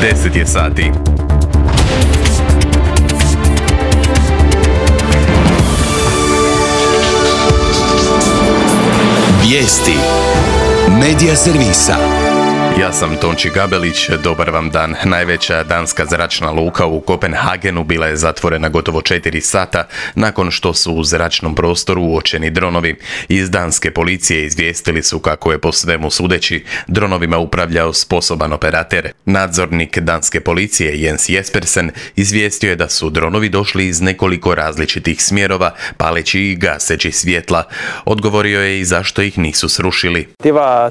10 je sati. Vijesti Medija servisa. Ja sam Tonči Gabelić, dobar vam dan. Najveća danska zračna luka u Kopenhagenu bila je zatvorena gotovo 4 sata nakon što su u zračnom prostoru uočeni dronovi. Iz danske policije izvijestili su kako je po svemu sudeći dronovima upravljao sposoban operater. Nadzornik danske policije Jens Jespersen izvijestio je da su dronovi došli iz nekoliko različitih smjerova, paleći i gaseći svjetla. Odgovorio je i zašto ih nisu srušili.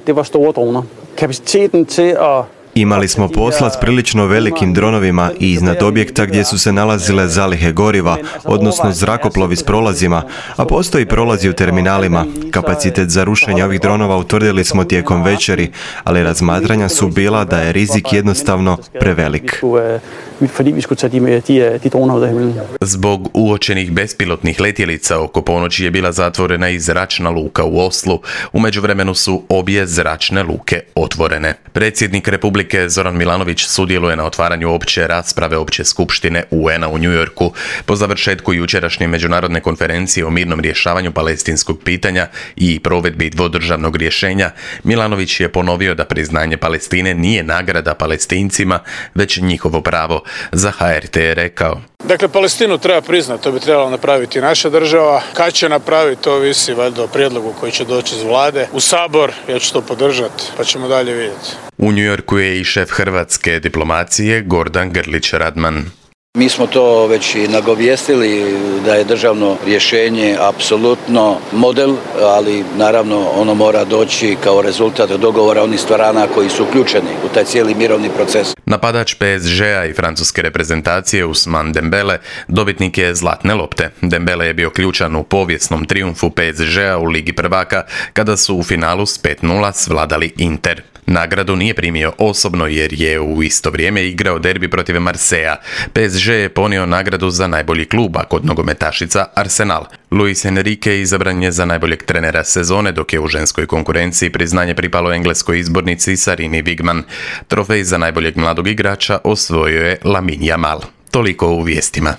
Det var store droner. Kapaciteten til at Imali smo posla s prilično velikim dronovima i iznad objekta gdje su se nalazile zalihe goriva, odnosno zrakoplovi s prolazima, a postoji prolazi u terminalima. Kapacitet za rušenje ovih dronova utvrdili smo tijekom večeri, ali razmatranja su bila da je rizik jednostavno prevelik. Zbog uočenih bespilotnih letjelica oko ponoći je bila zatvorena i zračna luka u Oslu. U međuvremenu su obje zračne luke otvorene. Predsjednik Republike Zoran Milanović sudjeluje na otvaranju opće rasprave opće skupštine UN-a u New Yorku. Po završetku jučerašnje međunarodne konferencije o mirnom rješavanju palestinskog pitanja i provedbi dvodržavnog rješenja, Milanović je ponovio da priznanje Palestine nije nagrada Palestincima, već njihovo pravo. Za HRT je rekao: Dakle, Palestinu treba priznati, to bi trebala napraviti naša država. Kad će napraviti, to ovisi valjda o prijedlogu koji će doći iz vlade u Sabor. Ja ću to podržati, pa ćemo dalje vidjeti. U New Yorku je i šef hrvatske diplomacije Gordan Grlić Radman. Mi smo to već i nagovijestili da je državno rješenje apsolutno model, ali naravno ono mora doći kao rezultat dogovora onih strana koji su uključeni u taj cijeli mirovni proces. Napadač PSG-a i francuske reprezentacije Ousmane Dembele dobitnik je zlatne lopte. Dembele je bio ključan u povijesnom trijumfu PSG-a u Ligi prvaka kada su u finalu s 5:0 svladali Inter. Nagradu nije primio osobno jer je u isto vrijeme igrao derbi protiv Marseillea. PSG je ponio nagradu za najbolji klub, a kod nogometašica Arsenal. Luis Enrique izabran je za najboljeg trenera sezone, dok je u ženskoj konkurenciji priznanje pripalo engleskoj izbornici Sarini Wigman. Trofej za najboljeg mladog igrača osvojio je Lamine Yamal. Toliko u vijestima.